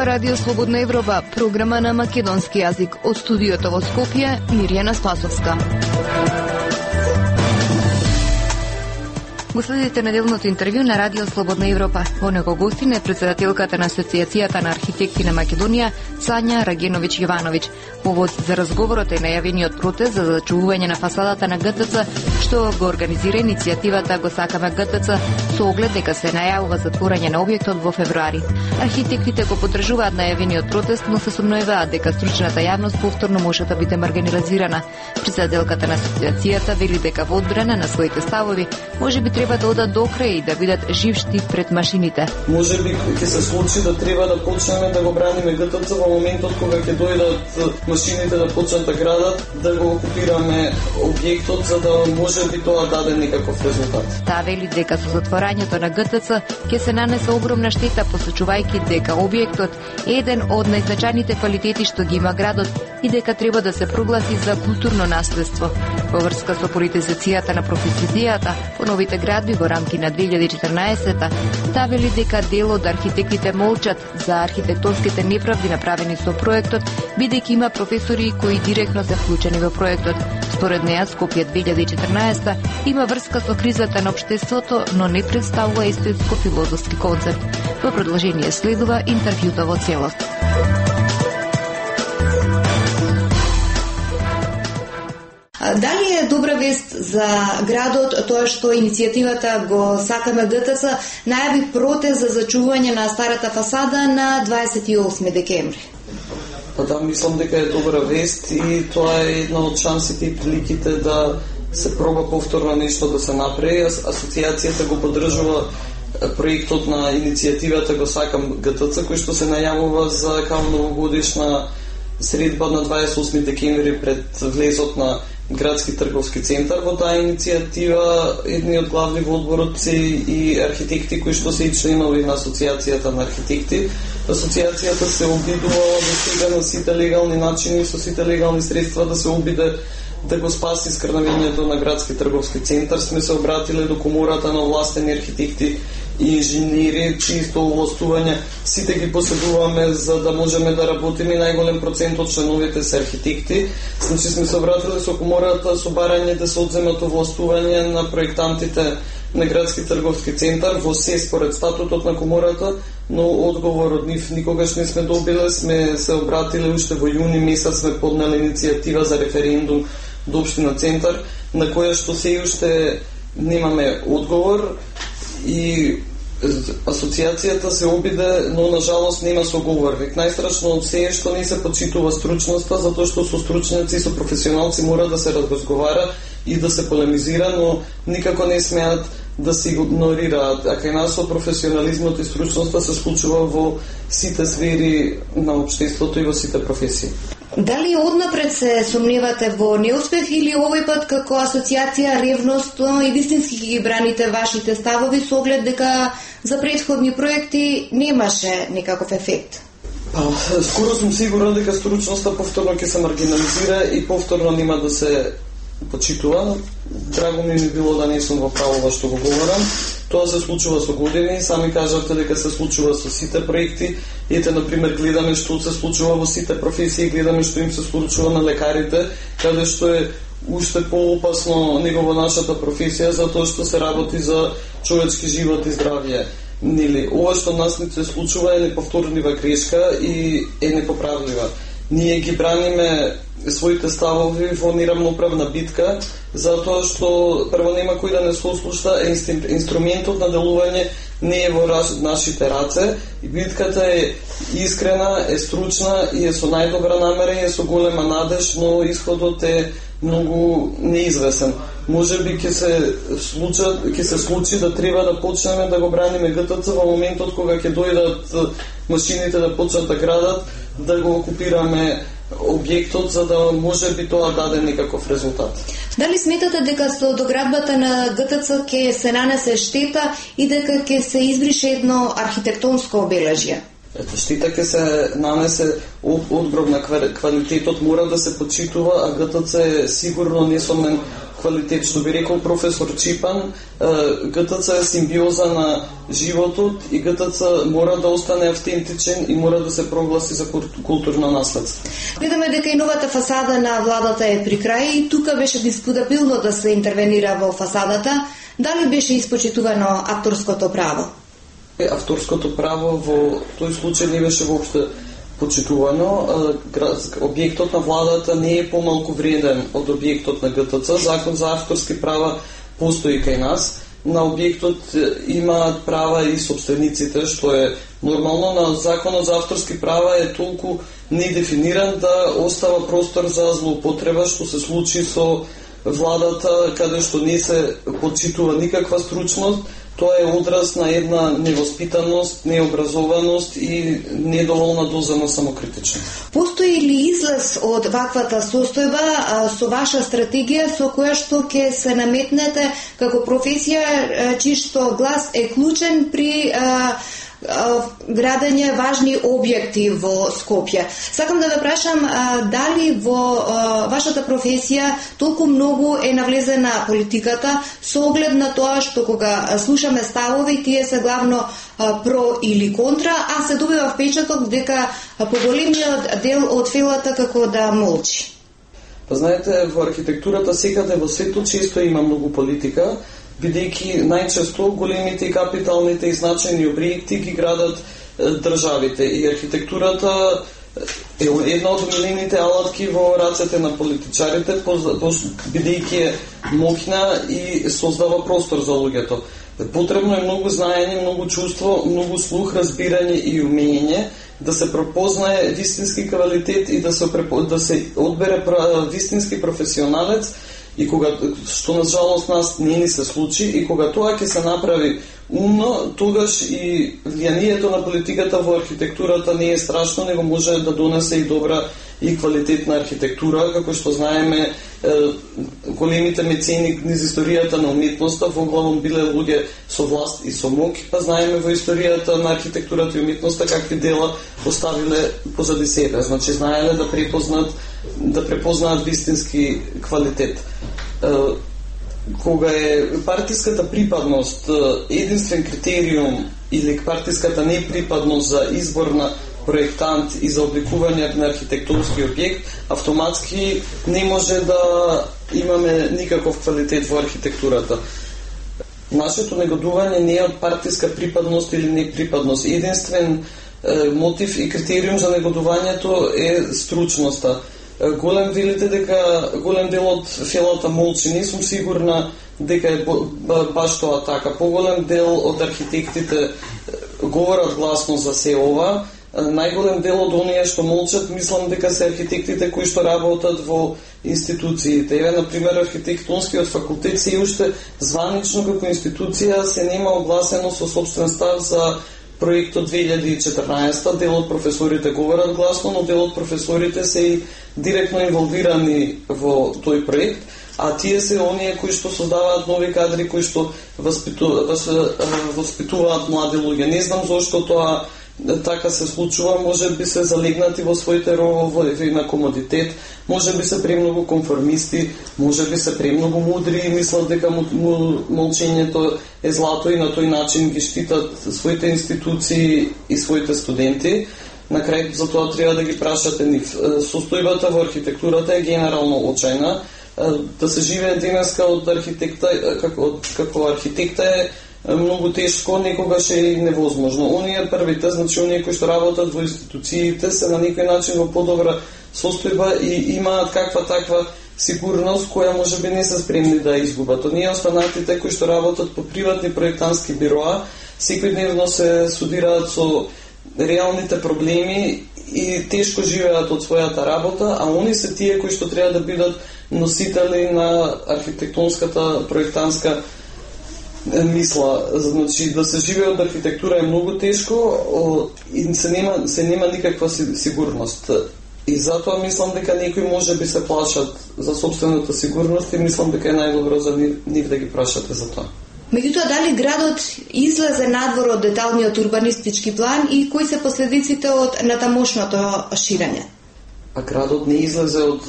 Радио Слободна Европа, програма на македонски јазик. Од студиото во Скопје, Мирјана Спасовска. Го следите неделното интервју на Радио Слободна Европа. Во него гостин е председателката на Асоцијацијата на архитекти на Македонија, Сања Рагеновиќ Јовановиќ. Повод за разговорот е најавениот протест за зачувување на фасадата на ГТЦ, што го организира иницијативата Го сакаме ГТЦ, со оглед дека се најавува затворање на објектот во февруари. Архитектите го поддржуваат најавениот протест, но се сомневаат дека стручната јавност повторно може да биде маргинализирана. Председателката на асоцијацијата вели дека во одбрана на своите ставови можеби треба да одат до крај и да бидат жив штип пред машините. Можеби ќе се случи да треба да почнеме да го браниме ГТЦ во моментот кога ќе дојдат машините да почнат да градат, да го окупираме објектот, за да можеби тоа даде некаков резултат. Таа вели дека со затворањето на ГТЦ ќе се нанесе огромна штета, посочувајќи дека објектот е еден од најзначајните квалитети што ги има градот и дека треба да се прогласи за културно наследство. Во врска со политизацијата на професијата по новите градби во рамки на 2014-та, таа вели дека дел од архитектите молчат за архитектонските неправди направени со проектот, бидејќи има професори кои директно се вклучени во проектот. Според неа, Скопје 2014 има врска со кризата на општеството, но не представува естетско-филозофски концепт. Во продолжение следува интервјуто во целост. Дали е добра вест за градот тоа што иницијативата Го сакаме ГТЦ најави протест за зачувување на старата фасада на 28 декември? Па да, мислам дека е добра вест и тоа е една од шансите и приликите да се проба повторно нешто да се направи. Асоцијацијата го поддржува проектот на иницијативата Го сакам ГТЦ, кој што се најавува за као новогодишна средба на 28 декември пред влезот на Градски трговски центар. Во таа иницијатива едни од главни во одборот се и архитекти кои што се и членови на Асоцијацијата на архитекти. Асоцијацијата се обидувала до сега на сите легални начини, со сите легални средства да се обиде да го спаси скрнавењето на Градски трговски центар. Сме се обратиле до комората на овластени архитекти и инженери, чисто овластување сите ги поседуваме за да можеме да работиме. Најголем процент од членовите се архитекти. Значи сме се обратиле со комората со барање да се одземат овластување на проектантите на Градски трговски центар во се според статутот на комората, но одговор од нив никогаш не сме добиле. Сме се обратиле уште во јуни месец, сме поднели иницијатива за референдум до Општина Центар, на која што се уште немаме одговор и асоцијацијата се обиде, но на жалост нема соговорник. Најстрашно од се е што не се почитува стручноста, затоа што со стручњаци и со професионалци мора да се разговара и да се полемизира, но никако не смеат да се игнорираат. А кај нас со професионализмот и стручноста се случува во сите сфери на општеството и во сите професии. Дали однапред се сомневате во неуспех или овој пат како асоцијација ревностно и вистински ги браните вашите ставови со оглед дека за претходни проекти немаше никаков ефект? Па, скоро сум сигурен дека стручноста повторно ќе се маргинализира и повторно нема да се почитува. Драго ми било да не сум во право што го говорам. Тоа се случува со години, сами кажавте дека се случува со сите проекти. Ете, например, гледаме што се случува во сите професии, гледаме што им се случува на лекарите, каде што е уште поопасно него во нашата професија, затоа што се работи за човечки живот и здравје. Нели, ова што нас не се случува е неповторлива грешка и е непоправлива. Ние ги браниме своите ставови во неравноправна битка, затоа што прво нема кој да не се ослушта, инструментот на делување не е во нашите раце и битката е искрена, е стручна и е со најдобра намера и е со голема надеж, но исходот е многу неизвесен. Можеби ќе се случи да треба да почнеме да го браниме ГТЦ во моментот кога ќе дојдат машините да почнат да градат, да го окупираме објектот, за да може би тоа даде некаков резултат. Дали сметате дека со доградбата на ГТЦ ќе се нанесе штета и дека ќе се избрише едно архитектонско обележје? Ето, штета ќе се нанесе одброг на квалитетот мора да се почитува, а ГТЦ е сигурно несомен квалитет. Што би рекол професор Чипан, ГТЦ е симбиоза на животот и ГТЦ мора да остане автентичен и мора да се прогласи за културно наследство. Гледаме дека и новата фасада на владата е при крај и тука беше дискутабилно да се интервенира во фасадата. Дали беше испочитувано авторското право? Авторското право во тој случај не беше воопшто почитувано. Објектот на владата не е помалку вреден од објектот на ГТЦ. Закон за авторски права постои кај нас. На објектот имаат права и собствениците, што е нормално. На законот за авторски права е толку недефиниран да остава простор за злоупотреба, што се случи со владата, каде што не се почитува никаква стручност. Тоа е одраз на една невоспитаност, необразованост и недоволна доза на самокритичност. Постои ли излез од ваквата состојба со ваша стратегија со која што ќе се наметнете како професија чиј што глас е клучен при градење важни објекти во Скопје? Сакам да ве прашам дали во вашата професија толку многу е навлезена политиката со оглед на тоа што кога слушаме ставови тие се главно про или контра, а се добива впечаток дека поголемиот дел од филата како да молчи. Знаете, во архитектурата секаде во светот често има многу политика, бидејќи најчесто големите и капиталните и значајни објекти ги градат државите и архитектурата е една од милените алатки во рацете на политичарите, бидејќи е моќна и создава простор за луѓето. Потребно е многу знаење, многу чувство, многу слух, разбирање и умење да се препознае вистински квалитет и да се одбере вистински професионалец. И кога, што на жалост нас не ни се случи, и кога тоа ќе се направи умно, тогаш и влијанието на политиката во архитектурата не е страшно, него може да донесе и добра и квалитетна архитектура, како што знаеме големите мецени низ историјата на уметноста во главом биле луѓе со власт и со моќ, па знаеме во историјата на архитектурата и уметноста какви дела оставиле позади себе, значи знаеле да препознаат вистински квалитет. Кога е партиската припадност единствен критериум или партиската неприпадност за избор на проектант и за обликување на архитектурски објект, автоматски не може да имаме никаков квалитет во архитектурата. Нашето негодување не е од партиска припадност или неприпадност. Единствен мотив и критериум за негодувањето е стручноста. Голем дел од филата молчи, не сум сигурна дека е баш тоа така. Поголем дел од архитектите говорат гласно за се ова. Најголем дел од оние што молчат, мислам дека се архитектите кои што работат во институциите. Еве, например, архитектонскиот факултет се уште званично како институција се нема огласено со собствен став за проектот 2014. Дел од професорите говорат гласно, но дел од професорите се и директно инволвирани во тој проект, а тие се оние кои што создаваат нови кадри, кои што воспитуваат млади луѓе. Не знам зошто тоа така се случува, може би се залегнати во своите ровови на комодитет, може би се премногу конформисти, може би се премногу мудри и мислат дека молчењето е злато и на тој начин ги штитат своите институции и своите студенти. На крај за тоа треба да ги прашате нив. Состојбата во архитектурата е генерално очајна. Да се живее денеска од архитекта како архитекта е многу тешко, некогаш е и невозможно. Оние првите, значи оние кои што работат во институциите се на некој начин во подобра состојба и имаат каква таква сигурност која може би не се спремни да изгубат. Оние останатите кои што работат по приватни проектантски бироа секојдневно се судираат со реалните проблеми и тешко живеат од својата работа, а они се тие кои што треба да бидат носители на архитектонската проектантска мисла. Значи да се живее од архитектура е многу тешко и се нема никаква сигурност. И затоа мислам дека некои може би се плашат за собствената сигурност и мислам дека е најдобро за нив да ги прашате за тоа. Меѓутоа, дали градот излезе надвор од деталниот урбанистички план и кои се последиците од натамошното ширење? А градот не излезе од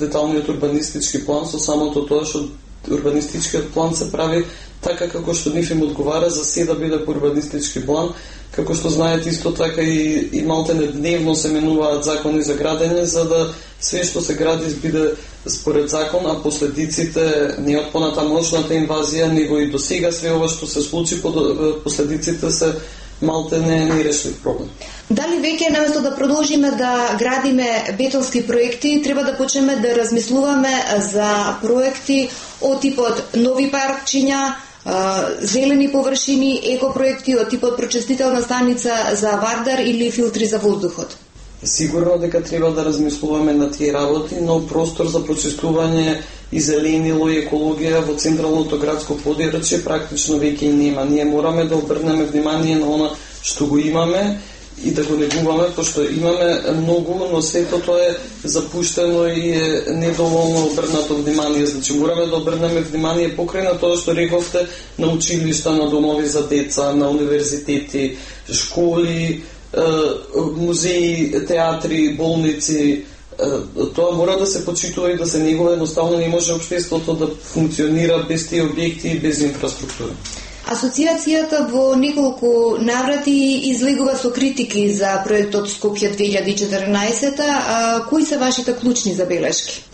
деталниот урбанистички план со самото тоа што урбанистичкиот план се прави така како што нив им одговара за се да биде по урбанистички план, како што знаете исто така и малтене дневно се менуваат закони за градење за да све што се гради биде според закон, а последиците не од понатамошната инвазија, него и до сега све ова што се случи, последиците се малтене нерешлив проблем. Дали веќе наместо да продолжиме да градиме бетонски проекти, треба да почнеме да размислуваме за проекти од типот нови паркчиња, зелени површини, екопроекти од типот прочистителна станица за Вардар или филтри за воздухот? Сигурно дека треба да размислуваме на тие работи, но простор за прочистување и зеленило и екологија во централното градско подрачје практично веќе и нема. Ние мораме да обрнеме внимание на она што го имаме и да го негуваме, пошто имаме многу, но сето тоа е запуштено и е недоволно обрнато внимание. Значи мораме да обрнеме внимание покрај на тоа што рековте, на училишта, на домови за деца, на универзитети, школи, музеи, театри, болници. Тоа мора да се почитува и да се негува, едноставно не може општеството да функционира без тие објекти и без инфраструктура. Асоциацијата во неколку наврати излегува со критики за проектот Скопје 2014. Кои се вашите клучни забелешки?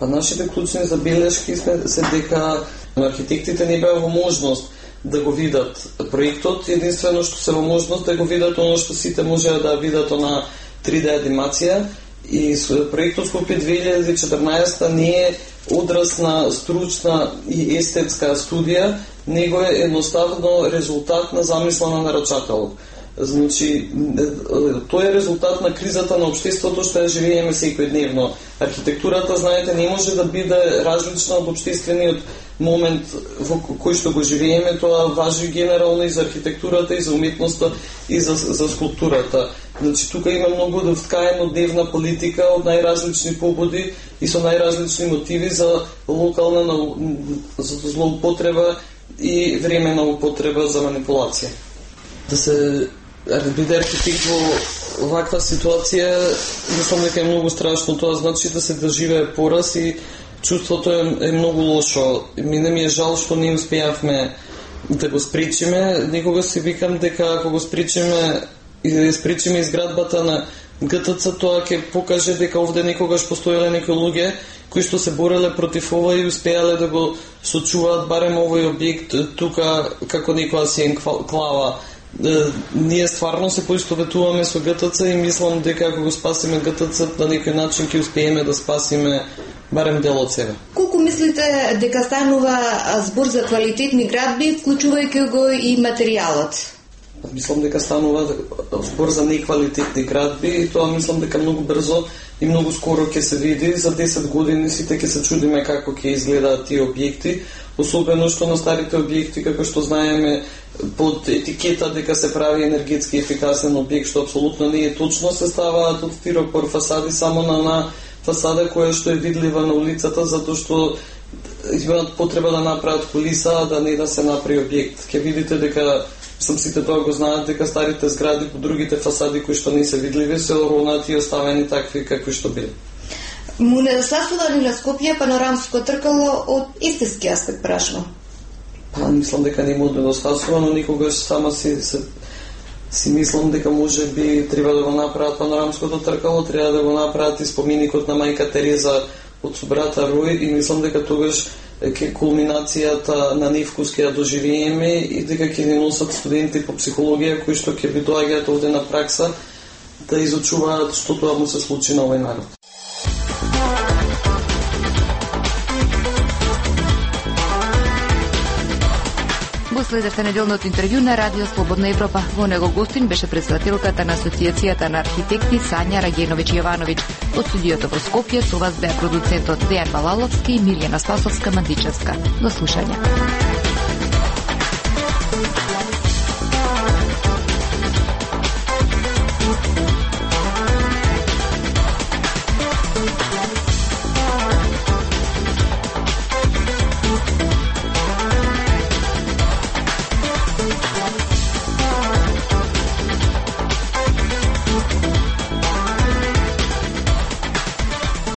Нашите клучни забелешки се дека архитектите не беа во можност да го видат проектот, единствено што се во можност да го видат оно што сите можеа да видат на 3D анимација, и проектот Скопје 2014 не е одраз на стручна и естетска студија, него е едноставно резултат на замисла на нарачателот. Значи, тоа е резултат на кризата на општеството што ја живееме секојдневно. Архитектурата, знаете, не може да биде различна од општествениот момент во кој што го живееме. Тоа важи генерално и за архитектурата, и за уметноста, и за скулптурата. Значи, тука има многу да вткаено дневна политика од најразлични побуди и со најразлични мотиви за локална злоупотреба и времена употреба за манипулација. Да се биде архитект во ваква ситуација, мислам дека е многу страшно. Тоа значи да се доживее пораз и чувството е многу лошо. Мене ми е жал што не успеавме да го спречиме. Никога си викам дека ако го спречиме и да спречиме изградбата на ГТЦ, тоа ќе покаже дека овде некогаш постоеле некои луѓе кои што се бореле против ова и успеале да го сочуваат барем овој објект тука како некоја сиен клава. Ние стварно се поистоветуваме со ГТЦ и мислам дека ако го спасиме ГТЦ на некој начин ќе успееме да спасиме барем дел од себе. Колку мислите дека станува збор за квалитетни градби, вклучувајќи го и материјалот? Мислам дека станува збор за неквалитетни градби и тоа мислам дека многу брзо и многу скоро ќе се види. За 10 години сите ќе се чудиме како ќе изгледаат тие објекти, особено што на старите објекти, како што знаеме, под етикета дека се прави енергетски ефикасен објект, што апсолутно не е точно, се ставаат од стиропор фасади само на фасада која што е видлива на улицата, затоа што имаат потреба да направат кулиса, да не да се направи објект. Ќе видите дека сите тоа го знаат дека старите згради по другите фасади кои што не се видливи се оронати и оставени такви какви што биле. Му недостасува ли на Скопје панорамско тркало од естетски аспект, прашувам? Мислам дека не му недостасува, но никогаш сама си мислам дека може би треба да го направат панорамското тркало, треба да го направат и споменикот на мајка Тереза од собрата Рој и мислам дека тогаш ке кулминацијата на невкус ќе ја доживееме и дека ќе ни носат студенти по психологија кои што ќе би доаѓаат овде на пракса да изучуваат што тоа му се случи на овој народ. Следевте неделното интервју на Радио Слободна Европа. Во него гостин беше председателката на Асоциацијата на архитекти Сања Рагеновиќ Јовановиќ. Од студиото во Скопје со вас беа продуцентот Дејан Балаловски и Милјана Спасовска-Мандичевска. До слушање.